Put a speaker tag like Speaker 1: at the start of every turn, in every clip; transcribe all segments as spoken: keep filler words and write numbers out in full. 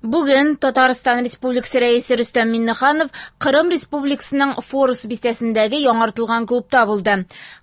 Speaker 1: Бүген Татарстан Республикасы Рәисе Рөстәм Миңнеханов Кырым Республикасының Форос бистәсендәге яңартылган клубта булды.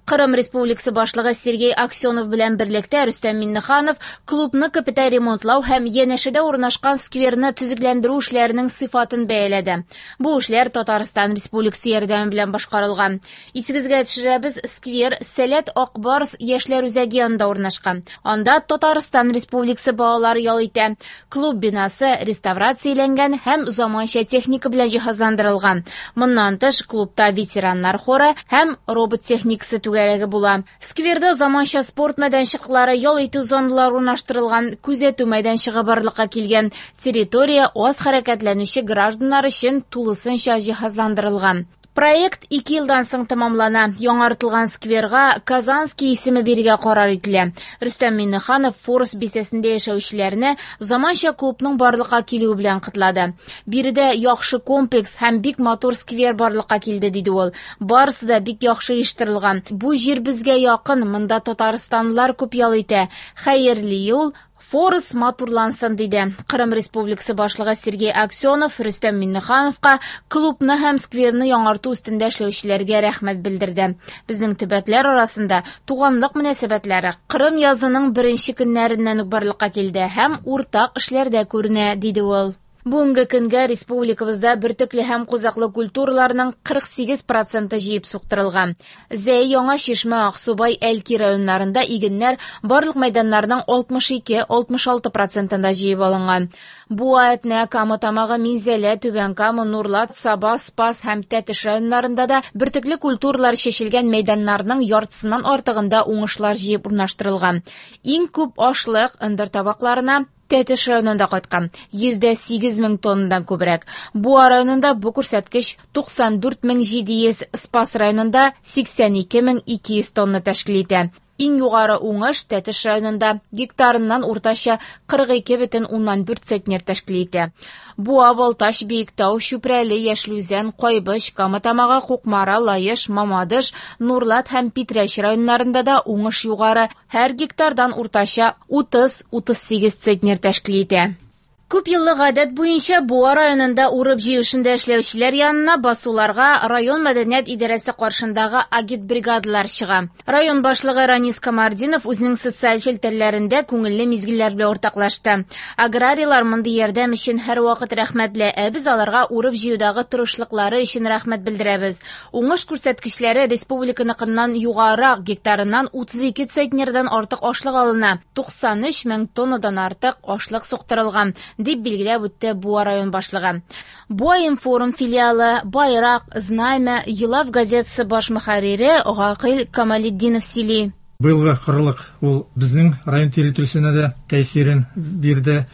Speaker 1: Кырым Республикасы башлыгы Сергей Аксенов белән берлектә Рөстәм Миңнеханов клубны капиталь ремонтлау һәм янәшәдә урнашкан скверны төзекләндерү эшләренең сыйфатын бәяләде. Бу эшләр Татарстан Республикасы ярдәме белән башкарылган. Исегезгә төшерәбез, сквер Сәләт Акбарс яшьләр үзәге янында урнашкан. Анда Татарстан Республикасы балалары ял итә. Клуб бинасы реставрацияләнгән һәм заманча техника белән җиһазландырылган. Моннан тыш клубта ветераннар хоры һәм робот техникасы түгәрәге була. Скверда заманча спорт мәйданчыклары, ял итү зоналары урнаштырылган, күзәтү мәйданчыгы барлыкка килгән. Территория аз хәрәкәтләнүче гражданнар өчен тулысынча җиһазландырылган. Проект ике елдан соң тәмамлана. Яңартылган скверга Казанский исеме бирергә карар ителә. Рөстәм Миңнеханов Форос бистәсендә яшәүчеләрне заманча клубның барлыкка килүе белән котлады. Биредә яхшы комплекс һәм бик матур сквер барлыкка килде, диде ул. Барысы да бик яхшы оештырылган. Бу җир безгә якын, монда татарстанлылар күп ял итә. Хәерле юл, Форос матурлансын, диде. Кырым Республикасы башлыгы Сергей Аксенов Рөстәм Миңнехановка клубны һәм скверны яңарту өстендә эшләүчеләргә рәхмәт белдерде. Безнең төбәкләр арасында туганлык мөнәсәбәтләре Кырым язының беренче көннәреннән үк барлыкка килде һәм уртак эшләрдә күренә, диде ул. Бүгенге көнгә республикабызда бөртекле һәм кузаклы культураларның кырык сигез проценты җыеп суктырылган. Зәй, Яңа Чишмә, Аксубай, Әлки районнарында игеннәр барлык мәйданнарның алтмыш ике алтмыш алты процентында җыеп алынган. Буа, Әтнә, Кама Тамагы, Минзәлә, Түбән Кама, Нурлат, Саба, Спас һәм Тәтеш районнарында да бөртекле культуралар чәчелгән мәйданнарның яртысыннан артыгында уңышлар җыеп урнаштырылган. Иң күп ашлык ындыр табакларына Тәтеш районында кайткан, йөздә сигез мең тоннадан күбрәк. Буа районында бу күрсәткеч туксан дүрт мең җиде йөз, Спас районында сиксән ике мең ике йөз тонна тәшкил итә. Иң югары уңыш Тәтеш районында гектарыннан уртача кырык ике бөтен уннан дүрт центнер тәшкил итә. Буа, Балтач, Биектау, Чүпрәле, Яшел Үзән, Кайбыч, Кама Тамагы, Кукмара, Лаеш, Мамадыш, Нурлат һәм Питрәч районнарында да уңыш югары, һәр гектардан уртача утыз утыз сигез центнер тәшкил итә. Күп еллык гадәт буенча Буа районында урып җыю эшендә эшләүчеләр янына басуларга район мәдәният идарәсе каршындагы агитбригадалар чыга. Район башлыгы Ранис Камартдинов үзенең социаль челтәрләрендә күңелле мизгелләр белән уртаклашты. Аграрийлар мондый ярдәм өчен һәрвакыт рәхмәтле, ә без аларга урып җыюдагы тырышлыклары өчен рәхмәт белдерәбез. Уңыш күрсәткечләре республиканыкыннан югарырак, гектарыннан утыз ике центнердан артык ашлык алына, туксан өч мең тоннадан артык ашлык суктырылган, дип билгеләп үтте Буа район башлыгы. Буа информ филиалы, Байрак, Знамя, Елав газетасы баш мөхәррире Гакыйль Камалетдинов сөйли.
Speaker 2: Быелгы кырлык ул безнең район территориясенә дә тәэсирен бирде.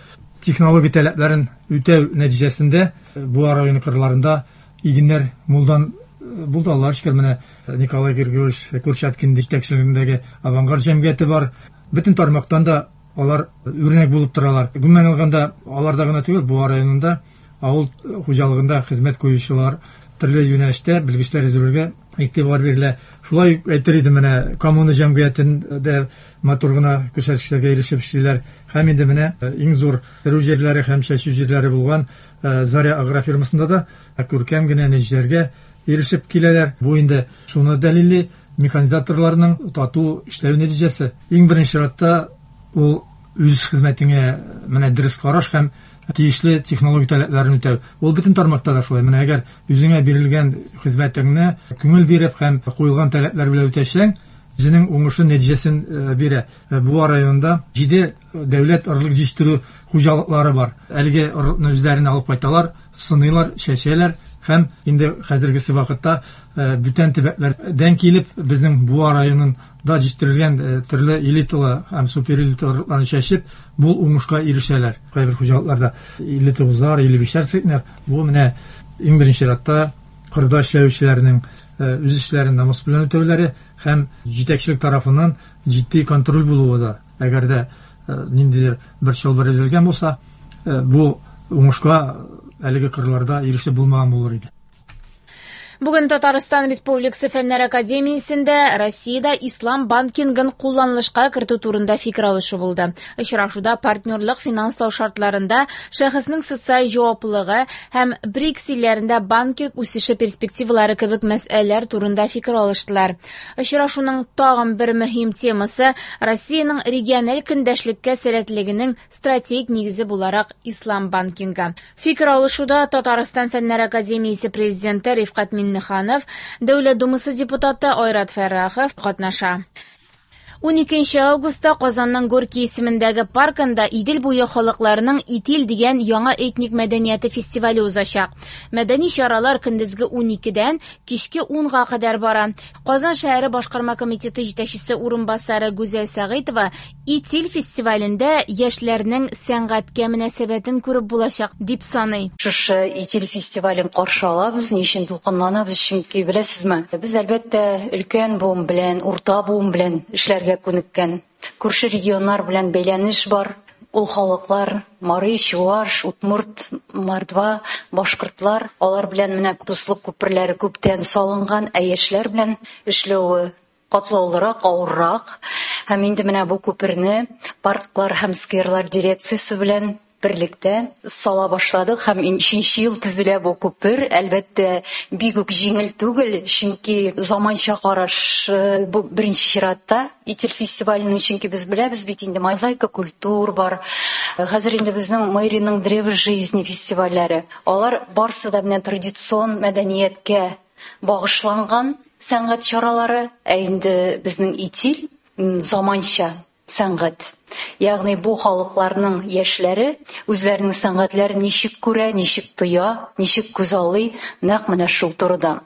Speaker 2: Технология таләпләрен үтәү нәтиҗәсендә Буа районы кырларында игеннәр мулдан булды. Аллаһ шөкер, менә Николай Григорьевич Курчаткин җитәкчелегендәге Авангард җәмгыяте бар. Бөтен тармактан да алар үрнәк булып торалар. Гомумән алганда, аларда гына түгел, Буа районында авыл хуҗалыгында хезмәт куючылар төрле юнәлештә белгечләр әзерләүгә игътибар бирелә. Шулай ук әйтер идем, менә коммуна җәмгыятендә матур гына күрсәткечләргә ирешеп эшлиләр. Һәм инде менә иң зур терү җирләре һәм чәчү җирләре булган, э, Заря агрофирмасында да күркәм генә нәтиҗәләргә ирешеп киләләр. Бу инде шуны дәлилли, механизаторларның тату эшләү нәтиҗәсе. Иң беренче чиратта ул үз хезмәтеңә менә дөрес караш һәм тиешле технология таләпләрен үтәү. Ул бөтен тармакта да шулай. Менә әгәр үзеңә бирелгән хезмәтеңне күңел биреп һәм куелган таләпләр белән үтәсәң, үзенең уңышы нәтиҗәсен, э, бирә. Э, Буа районында җиде дәүләт орлык җитештерү хуҗалыклары бар. Әлеге орлыкны үзләренә алып кайталар, сыныйлар, чәчәләр һәм инде хәзергесе вакытта, э, бүтән төбәкләрдән килеп безнең Буа районында җитештерелгән, э, төрле элиталы һәм суперэлиталы орлыкларны чәчеп, бу уңышка ирешәләр. Кайбер хуҗалыкларда илле тугызлар, илле бишләр центнер. Бу менә иң беренче чиратта кырда эшләүчеләрнең, э, үз эшләрен намус белән үтәүләре һәм җитәкчелек тарафыннан җитди контроль булуы да. Әгәр дә, э, ниндидер бер чылбыр өзелгән булса, э, бу уңышка әлеге кырларда ирешеп булмаган булыр иде.
Speaker 1: Бүген Татарстан Республикасы Фәннәр Академиясендә Россиядә ислам банкингын кулланылышка кертү турында фикер алышу булды. Очрашуда партнерлык финанслау шартларында шәхеснең социаль җаваплылыгы һәм БРИКС илләрендә банкинг үсеше перспективалары кебек мәсьәләләр турында фикер алыштылар. Очрашуның тагын бер мөһим темасы Россиянең региональ көндәшлеккә сәләтлегенең стратегик нигезе буларак ислам банкингы. Фикер алышуда Татарстан Фәннәр Академиясе президенты Рифкать Миннеханов, Дәүләт Думасы депутаты Айрат Фәррахов катнаша. Уникенче августта Казанның Горький исемендәге паркында Идел буе халыкларының Итил дигән яңа этник мәдәнияте фестивале узачак. Мәдәни чаралар көндезге уникедән кичке унга кадәр бара. Казан шәһәре башкарма комитеты җитәкчесе урынбасары Гүзәл Сәгыйтова Итил фестивалендә яшьләрнең сәнгатькә мөнәсәбәтен күреп булачак дип саный.
Speaker 3: Шушы Итил фестивален каршы алабыз, ни өчен дулкынланабыз? Чөнки беләсезме, без әлбәттә өлкән буын белән, урта буын белән эшләргә күнеккән. Күрше регионнар белән бәйләнеш бар. Ул халыклар Мари, Чуаш, Удмурт, Мордва, башкортлар, алар белән менә дуслык күперләре күптән салынган, ә яшьләр белән эшләве катлаулырак, авыррак. Һәм инде менә бу күперне парклар һәм скверлар дирекциясе белән берлектә сала башладык һәм өченче ел төзелә бу күпер. Әлбәттә, бик үк җиңел түгел, чөнки заманча караш бу беренче чиратта Итил фестиваленең, чөнки без беләбез бит инде мозаика культур бар. Хәзер инде безнең Мэриның Древо жизни фестивальләре. Алар барсы да менә традицион мәдәнияткә багышланган сәнгать чаралары, ә инде безнең Итил заманча сәнгать. Ягъни бу халыкларның яшьләре үзләренең сәнгатьләрен ничек күрә, ничек тоя, ничек күзаллый, нәкъ менә шул турыда.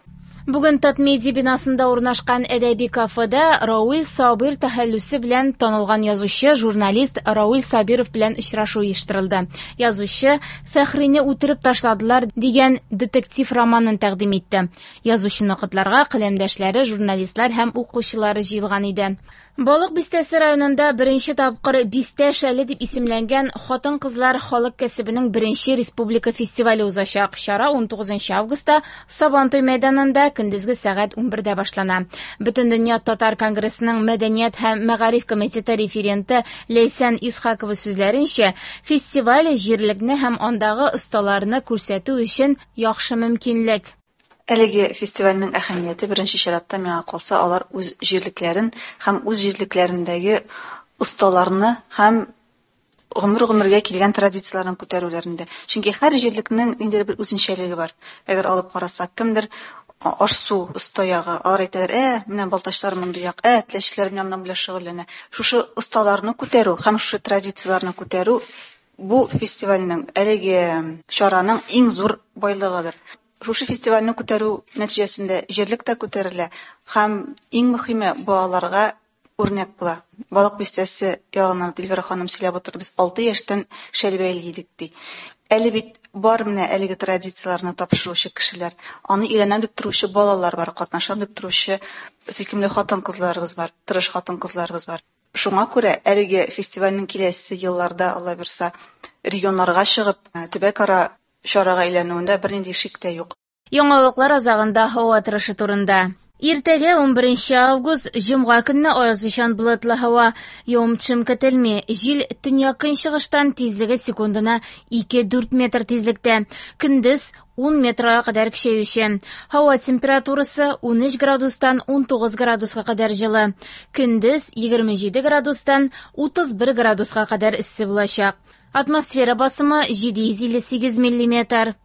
Speaker 1: Бүген Татмедиа бинасында урнашкан әдәби кафеда Равил Сабир тәхәллүсе белән танылган язучы, журналист Равил Сабиров белән очрашу оештырылды. Язучы Фәхрине үтереп ташладылар дигән детектив романын тәкъдим итте. Язучыны котларга каләмдәшләре, журналистлар һәм укучылары җыелган иде. Балык бистәсе районында беренче тапкыр Бистә шәле дип исемләнгән хатын-кызлар халык кәсебенең беренче республика фестивале узачак. Чара унтугызынчы августта Сабантуй мәйданында көндезге сәгать унбердә башлана. Бөтендөнья татар конгрессының мәдәният һәм мәгариф комитеты референты Ләйсән Исхакова сүзләренчә, фестиваль җирлекне һәм андагы осталарны күрсәтү өчен яхшы мөмкинлек.
Speaker 4: Әлеге фестивальнең әһәмияте беренче чиратта миңа калса, алар үз җирлекләрен һәм үз җирлекләрендәге осталарны һәм гомер-гомергә килгән традицияләрен күтәрүләрендә. Чөнки һәр җирлекнең ниндидер бер үзенчәлеге бар. Әгәр алып карасак, кемдер аш-су оста ягы, алар әйтәләр, ә, менә балтачлар мондый як, ә, теләчеләр менә моның белән шөгыльләнә. Шушы осталарны күтәрү һәм шушы традицияләрне күтәрү бу фестивальнең, әлеге чараның иң зур байлыгыдыр. Шушы фестивальне күтәрү нәтиҗәсендә җирлек тә күтәрелә һәм иң мөһиме балаларга үрнәк була. Балык бистәсе ягыннан Дилбәр ханым сөйләп утыр, без алты яшьтән шәлбәйле идек ди. Әле бит бар менә әлеге традицияләрне тапшыручы кешеләр, аны өйрәнәм дип торучы балалар бар, катнашам дип торучы сөйкемле хатын-кызларыбыз бар, тырыш хатын-кызларыбыз бар. Шуңа күрә әлеге фестивальнең киләсе елларда, Алла бирса, регионнарга чыгып, төбәкара чарага әйләнүендә бернинди шик тә юк.
Speaker 1: Яңалыклар азагында һава торышы турында. Иртәгә унберенче август җомга көнне аязучан болытлы һава, явым-төшем көтелми. Җил төньяк-көнчыгыштан тизлеге секундына ике-дүрт метр тизлектә. Көндез ун метрга кадәр көчәюче. Һава температурасы унөч градустан унтугыз градуска кадәр җылы. Көндез егерме җиде градустан утыз бер градуска кадәр эссе булачак. Атмосфера басымы җиде йөз илле сигез миллиметр.